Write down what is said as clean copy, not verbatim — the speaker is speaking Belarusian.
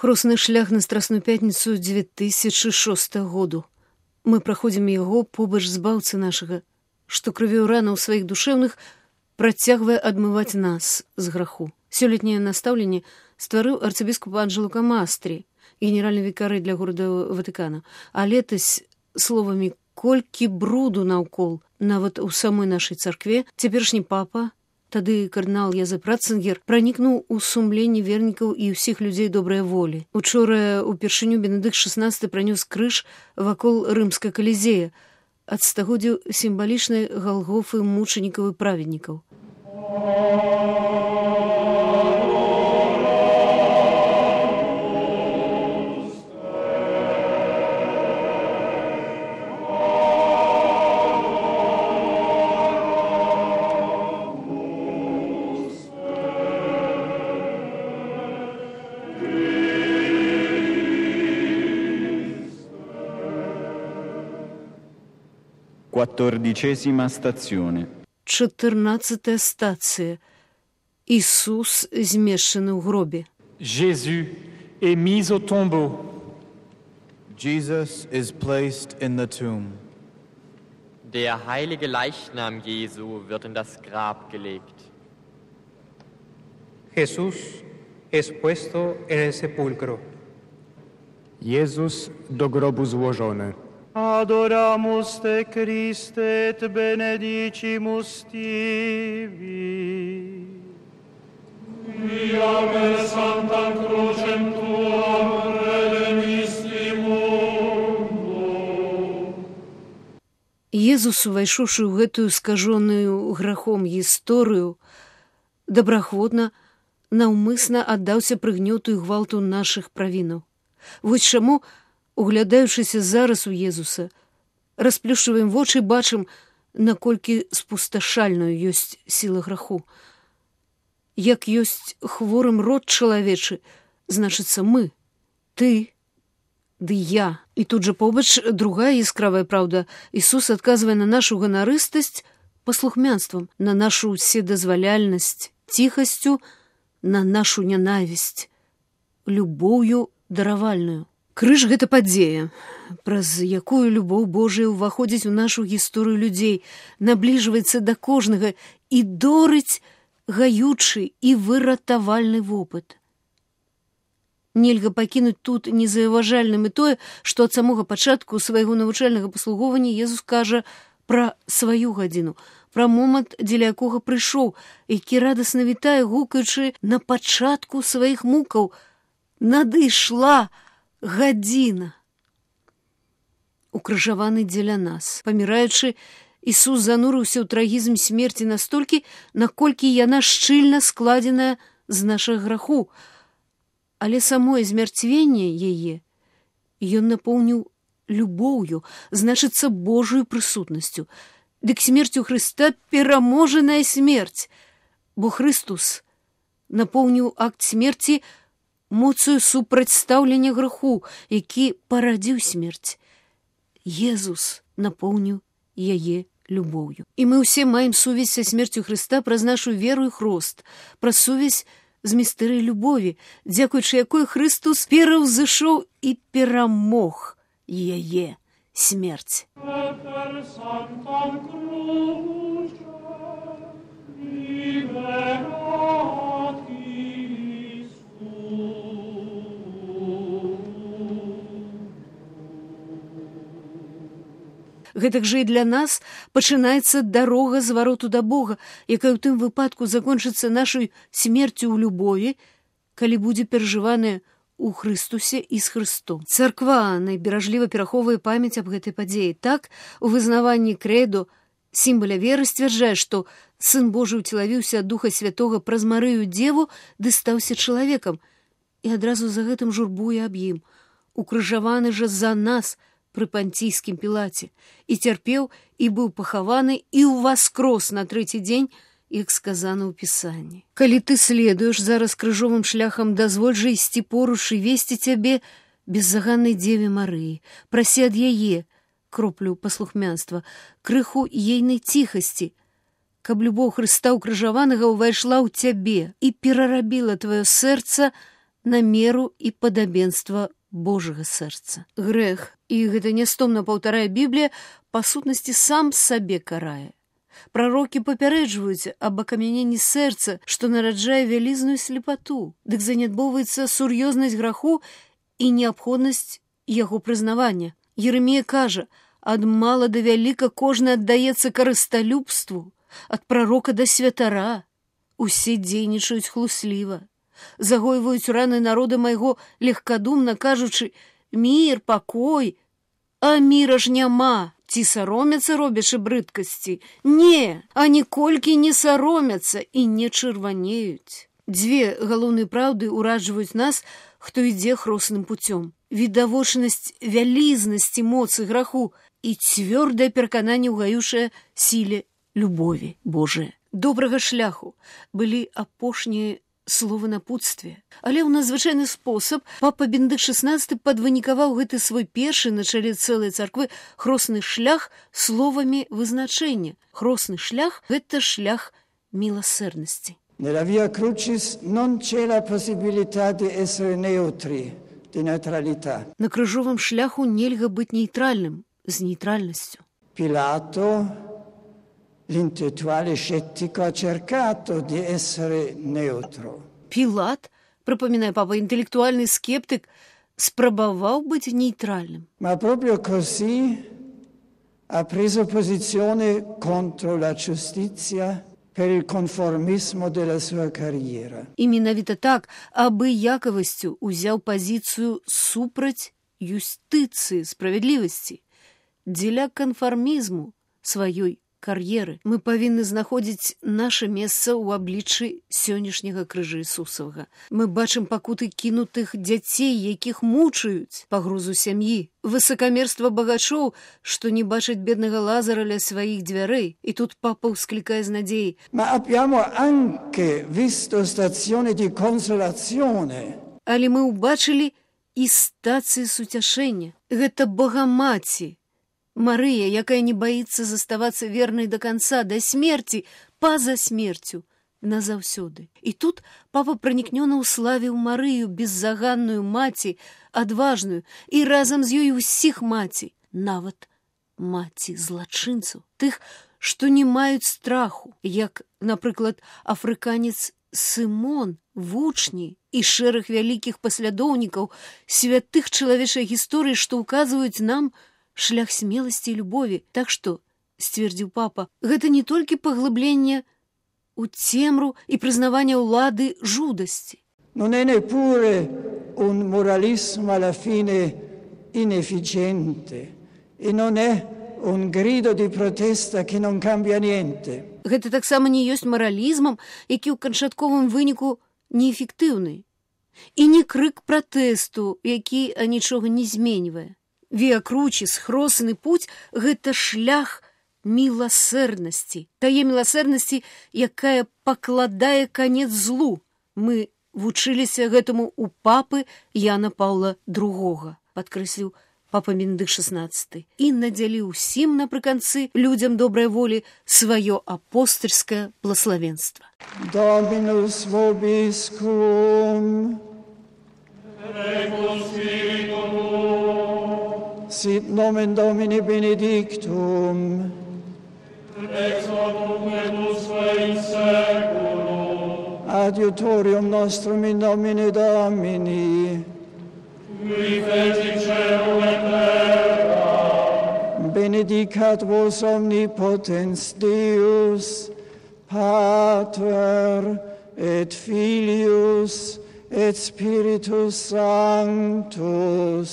Хросны шлях на Страсную пятніцу 2006 году. Мы праходзім яго побач збаўцы нашага, што крывёю ранаў сваіх душэўных працягвае адмываць нас з граху. Сёлетняе настаўленне стварыў арцыбіскуп Анджело Камастрі, генеральны вікарый для горада Ватыкана. А летась словамі колькі бруду наўкол, нават у самой нашай царкве, цяперашні папа, тады кардынал Язэп Ратцынгер, пранікнуў у сумленні вернікаў і ўсіх людзей добрай волі. Учора упершыню Бенедыкт XVI пранёс крыж вакол рымскай калізея, ад стагоддзяў сімвалічнай галгофы мучанікаў і праведнікаў. Quattordicesima stazione. 14-та стацыя. Ісус змешчаны ў гробе. Jésus est mis au tombeau. Jesus is placed in the tomb. Der heilige Leichnam Jesu wird in das Grab gelegt. Jesús es puesto en el sepulcro. Jezus do grobu złożony. Adoramus te Christe et benedicimus tibi. Via per sanctam crucem tuam redemisti mundo. Езус, увайшоўшы ў гэтую скажоную грахом гісторыю, добраахвотна, наўмысна аддаўся прыгнёту і гвалту нашых правінаў. Вось чаму, углядаючыся зараз у Езуса, расплюшчваем вочы, бачым, наколькі спусташальнаю ёсць сіла граху. Як ёсць хворым род чалавечы, значыцца мы, ты, ды я. І тут жа побач другая яскравая праўда. Ісус адказвае на нашу ганарыстасць паслухмянствам, на нашу ўседазваляльнасць ціхасцю, на нашу нянавісць любоўю даравальную. Крыж — гэта падзея, праз якую любоў Божая ўваходзіць у нашу гісторыю людзей, набліжваецца да кожнага і дорыць гаючы і выратавальны вопыт. Нельга пакінуць тут незаўважальным і тое, што ад самога пачатку свайго навучальнага паслугоўвання Езус кажа пра сваю гадзіну, пра момант, дзеля якога прыйшоў, які радасна вітае, гукаючы на пачатку сваіх мукаў: «Надышла гадзіна». Укрыжаваны дзеля нас. Паміраючы, Ісус занурыўся ў трагізм смерці настолькі, наколькі яна шчыльна складзеная з нашага граху. Але самое змярцвенне яе ён напоўніў любоўю, значыцца Божою прысутнасцю. Дык смерцю Хрыста пераможаная смерць, бо Хрыстус напоўніў акт смерці моцаю супрацьстаўлення граху, які парадзіў смерць. Езус напоўніў яе любоўю. І мы ўсе маем сувязь са смерцю Хрыста праз нашу веру і хрост, праз сувязь з містэрыяй любові, дзякуючы якой Хрыстус пераўзышоў і перамог яе смерць. Гэтак жа і для нас пачынаецца дарога звароту да Бога, якая ў тым выпадку закончыцца нашай смерцю ў любові, калі будзе перажываная у Хрыстусе і з Хрыстом. Царква найберажліва перахоўвае памяць аб гэтай падзеі. Так, у вызнаванні крэдо, сімваля веры, сцвярджае, што Сын Божы ўцелавіўся ад Духа Святога праз Марыю Дзеву ды стаўся чалавекам, і адразу за гэтым журбуе аб ім. Укрыжаваны жа за нас пры панційскім Пілаце, і цярпеў, і быў пахаваны, і ўваскрос на трэці дзень, як сказана ў Пісанні. Калі ты следуеш зараз крыжовым шляхам, дазволь жа ісці поруч і весці цябе беззаганнай Дзеве Марыі. Прасі ад яе кроплю паслухмянства, крыху ейнай ціхасці, каб любоў Хрыста ўкрыжаванага ўвайшла ў цябе і перарабіла тваё сэрца на меру і падабенства Божага сэрца. Грэх, і гэта нястомна паўтарае Біблія, па сутнасці сам сабе карае. Прарокі папярэджваюць аб акамяненні сэрца, што нараджае вялізную слепату, дык занядбоўваецца сур'ёзнасць граху і неабходнасць яго прызнавання. Єремія кажа, ад мала да вяліка кожны аддаецца карысталюбству, ад прарока да святара. Усе дзейнічаюць хлусліва, загойваюць раны народа майго легкадумна, кажучы, мір, пакой, а міра ж няма. Ці саромяцца, робячы брыдкасці? Не, а ніколькі не саромяцца і не чырванеюць. Дзве галоўныя праўды ўраджваюць нас, хто ідзе хросным пуцём. Відавочнасць вялізнасці моцы граху і цвёрдае перакананне ўгаюшае сіле любові Божыя. Добрага шляху былі апошнія словы напутствия. Але ў надзвычайны спосаб папа Бенедыкт XVI падвынікаваў гэты свой першы на чале цэлай царквы хросны шлях словамі вызначэння. Хросны шлях – гэта шлях міласэрнасці. Nella via crucis non c'è la possibilità di essere neutri, di neutralità. На крыжовым шляху нельга быць нейтральным, з нейтральнасцю. Pilato, l'intellettuale scettico, ha cercato di essere neutro. Пілат, припоминає папа, інтелектуальний скептик, спробував бути нейтральним. Ma proprio così ha preso posizione contro la giustizia per il conformismo della sua carriera. І менавіта так, абыякавасцю узяў пазіцыю супраць юстыцыі, справядлівасці, дзеля канфармізму сваёй кар'еры. Мы павінны знаходзіць наша месца ў абліччы сённяшняга крыжа Ісусавага. Мы бачым пакуты кінутых дзяцей, якіх мучаюць, пагрозу сям'і, высакамерства багачоў, што не бачаць беднага Лазара ля сваіх дзвярэй. І тут папа ўсклікае з надзеяй. Ma abbiamo anche visto stazioni di consolazione. Але мы ўбачылі і стацыі суцяшэння. Гэта Богамаці, Марыя, якая не баіцца заставацца вернай да канца, да смерці, па-за смерцю, назаўсёды. І тут папа пранікнёна ўславіў Марыю, беззаганную маці, адважную, і разам з ёй усіх маці, нават маці злачынцаў, тых, што не маюць страху, як, напрыклад, афрыканец Сымон, вучні і шэраг вялікіх паслядоўнікаў святых чалавечай гісторыі, што ўказваюць нам шлях смелости и любови. Так что, ствердзіў папа, гэта не толькі паглыбленне у цемру і прызнаванне ўлады жудасці. Non è neppure un moralismo alla fine inefficiente e non è un grido di protesta che non cambia niente. Гэта таксама не ёсць маралізмам, які ў канчатковым выніку неэфектыўны, і не крык пратэсту, які нічога не зменьвае. Віа Кручіс, хросны путь – гэта шлях міласэрнасці. Тае міласэрнасці, якая пакладае канец злу. Мы вучыліся гэтаму у папы Яна Паўла II, падкрэсліў папа Бенедыкт XVI, і надзяліў усім напрыканцы людзям добрай волі сваё апостальскае блаславенства. Dominus vobiscum. Sit nomen Domini benedictum. Ex hoc nunc in seculum. Adiutorium nostrum in nomine Domini. Qui feci celum et terra. Benedicat vos omnipotens Deus, Pater et Filius et Spiritus Sanctus.